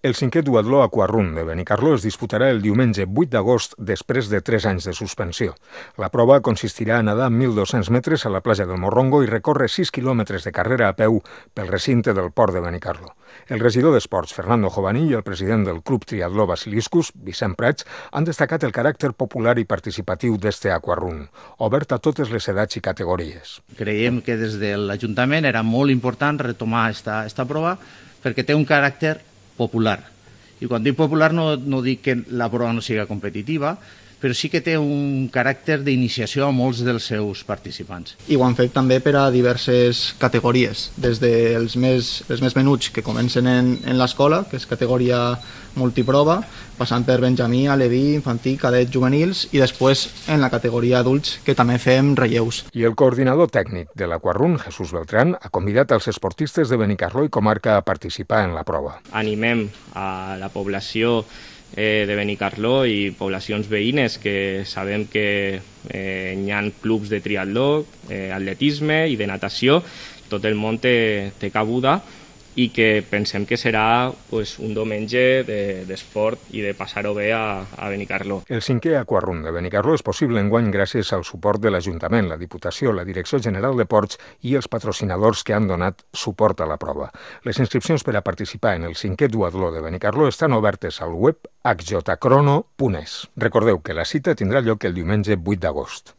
El cinquè duatló Aquarun de Benicarló es disputarà el diumenge 8 d'agost després de 3 anys de suspensió. La prova consistirà a nedar 1.200 metres a la platja del Morrongo i recórrer 6 quilòmetres de carrera a peu pel recinte del port de Benicarló. El regidor d'Esports, Fernando Jovaní, i el president del Club Triatló Basiliscus, Vicent Prats, han destacat el caràcter popular i participatiu d'este Aquarun, obert a totes les edats i categories. Creiem que des de l'Ajuntament era molt important retomar esta prova perquè té un caràcter popular. I quan dic popular no dic que la prova no sigui competitiva, però sí que té un caràcter d'iniciació a molts dels seus participants. I ho han fet també per a diverses categories, des dels més menuts que comencen en l'escola, que és categoria multiprova, passant per benjamí, aleví, infantil, cadet, juvenils, i després en la categoria adults, que també fem relleus. I el coordinador tècnic de l'Aquarun, Jesús Beltrán, ha convidat els esportistes de Benicarló i comarca a participar en la prova. Animem a la població de Benicarló i poblacions veïnes que sabem que hi ha clubs de triatló, atletisme i de natació, tot el món té cabuda i que pensem que serà un diumenge d'esport i de passar-ho bé a Benicarló. El cinquè Aquarun de Benicarló és possible enguany gràcies al suport de l'Ajuntament, la Diputació, la Direcció General de Ports i els patrocinadors que han donat suport a la prova. Les inscripcions per a participar en el cinquè duatló de Benicarló estan obertes al web hjcrono.es. Recordeu que la cita tindrà lloc el diumenge 8 d'agost.